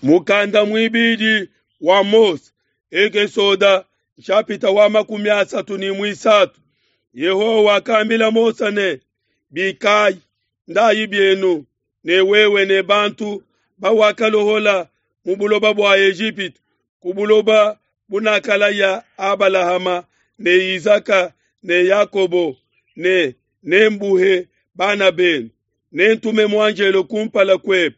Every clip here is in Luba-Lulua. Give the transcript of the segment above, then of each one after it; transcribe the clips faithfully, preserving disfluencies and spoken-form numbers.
Mukanda muibidi wa Mose, Ekesoda nshapita wa makumi asatu ne muisatu. Yehowa wakambila Mose ne, Bikayi, ndayi bienu, ne wewe ne bantu bawakalohola mu buloba bua Ejipitu, ku buloba bunakalaya Abalahama ne Izaka ne Yakobo ne nembuhe bana benu. Nentume muanjelo kumpala kuebe,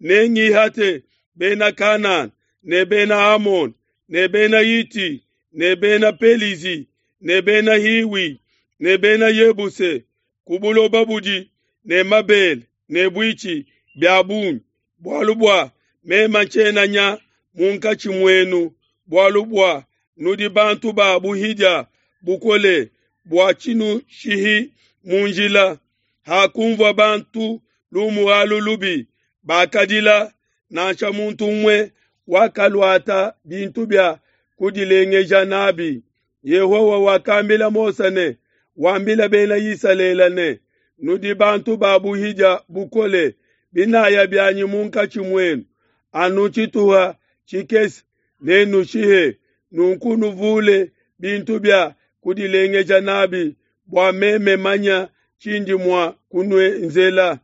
nengihate bena Kanana ne bena Amoni ne bena Hiti ne bena Pelizi ne bena Hiwi ne bena Yebuse ku buloba budi ne mabele ne buitshi bia bungi, bualu bua meme ntshiena nya munkatshi muenu, bualu bua nudi bantu ba buhidia bukole bua tshinushihi mu njila. Hakunvua bantu lumu alu lubi, bakadila, nansha muntu umue wakaluata bintu bia kudilengeja nabi. Yehowa wakambila Mose ne, wambila bena Isalele ne, nudi bantu ba buhidia bukole, binaya bianyi munkatshi muenu, anu tshituha tshikese nenushihe, nunku nuvule bintu bia kudilengeja nabi, bua meme manya tshindi mua kunuenzela.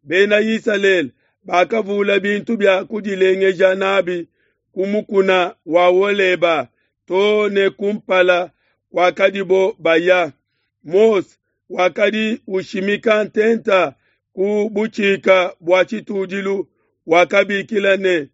Bena Isalele bakavula bintu bia kudilengeja nabi ku mukuna wa Holeba to ne kumpala kuakadibo baya. Mose wakadi ushimika ntenta ku butshika bua tshitudilu, wakabikila ne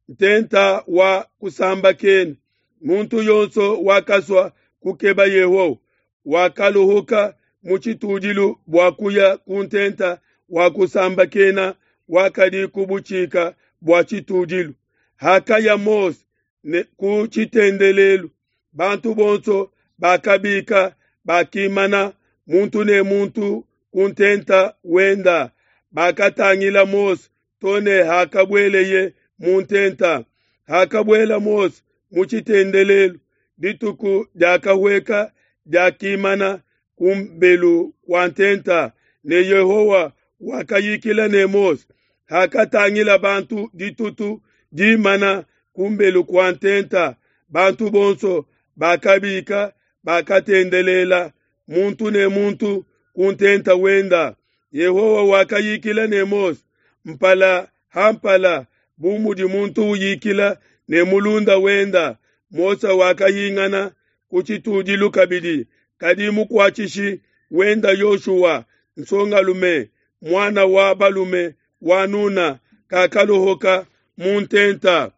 ntenta wa kusambakena. Muntu yonso wakasua kukeba Yehowa wakaluhuka mu tshitudilu bua kuya ku ntenta wa kusambakena wakadi ku butshika bua tshitudilu. Hakaya Mose ne ku tshitendelelu, bantu bonso bakabika bakimana muntu ne muntu ku ntenta wenda, bakatangila Mose to ne hakabueleye mu ntenta. Hakabuela Mose mu tshitendelelu, dituku diakahueka diakimana kumbelu kua ntenta, ne Yehowa wakayikila ne Mose. Hakatangila bantu ditutu dimana kumbelu kua ntenta, bantu bonso bakabika bakatendelela, muntu ne muntu ku ntenta wenda. Yehowa wakayikila ne Mose mpala ha mpala, bu mudi muntu uyikila ne mulunda wenda. Mose wakahingana ku tshitudilu kabidi, kadi mukuatshishi wenda Yoshua, nsongalume muana wa balume wa Nuna, kakaluhuka mu ntenta.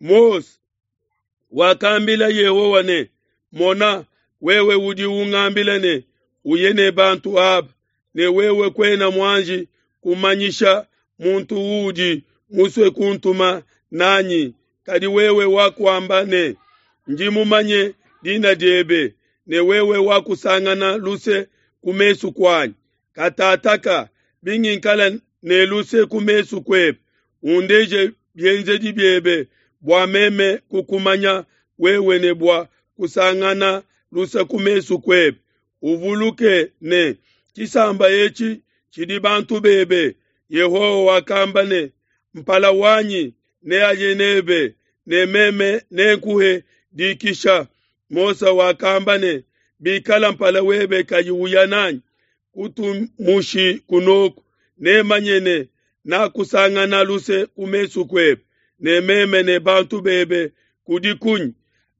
Mose wakambila Yehowa ne, Mona, wewe udi ungambila ne, uye ne bantu aba, ne wewe kuena muanji kumanyisha muntu uudi musue kuntuma nanyi. Kadi wewe wakuamba ne, ndi mumanye dina diebe, ne wewe wakusangana luse ku mesu kuanyi. Katataka bingikala ne luse ku mesu kuebe, undeje bienzedi biebe, bua meme kukumanya wewe ne bua kusangana luse ku mesu kuebe. Uvuluke ne tshisamba etshi tshidi bantu bebe. Yehowa wakamba ne, mpala wanyi neaye nebe, ne meme nenkuhe dikisha. Mose wakamba ne, bikala mpala webe kayi uya nanyi, kutumushi kunoku, nemanye ne nakusangana luse ku mesu kuebe, ne meme ne bantu bebe kudi kunyi?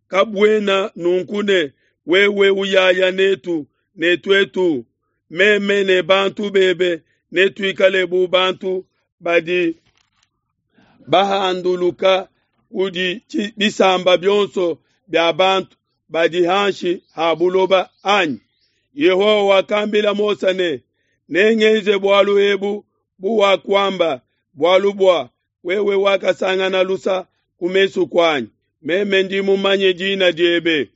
Kabuena nunku ne wewe uyaya netu ne tuetu, meme ne bantu bebe netuikale bu bantu badi bahanduluka kudi bisamba bionso bia bantu badi hanshi ha buloba anyi? Yehowa wakambila Mose ne, nengenze bualu ebu buwakuamba, bualu bua wewe wakasangana lusa ku mesu kuanyi, meme ndi mumanye dina diebe.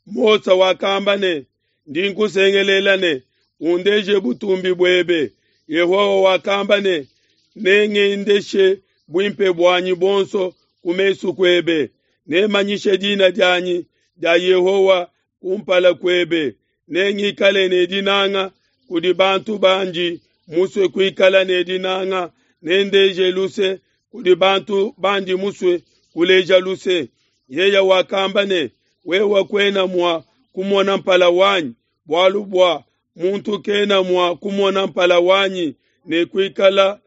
Mose wakamba ne, ndi nkusengelela ne, undeje butumbi buebe. Yehowa wakamba ne, nengendeshe buimpe buanyi buonso ku mesu kuebe, nemanyishe dina dianyi dia Yehowa kumpala kuebe, nengikale ne dinanga kudi bantu bandi musue kuikala ne dinanga, nendeje luse kudi bantu bandi musue kuleja luse. Yeye wakamba ne, Wewe kuena mua kumona mpala wanyi, bualu bua muntu kena mua kumona mpala wanyi ne kuikala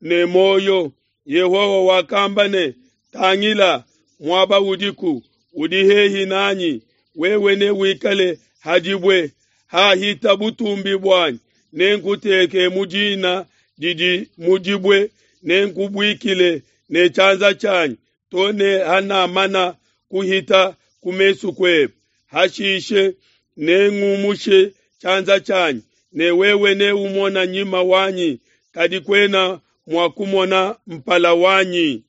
ne muoyo. Yehowa wakamba ne, Tangila, muaba udiku udi hehi nanyi, wewe newikale ha dibue hahita butumbi buanyi, nenkuteke mu dina didi mu dibue, nenkubuikile ne tshianza tshianyi to ne hanamana kuhita ku mesu kuebe. Hashishe nengumushe tshianza tshianyi, ne wewe neumone nyima wanyi, kadi kuena mua kumona mpala wanyi.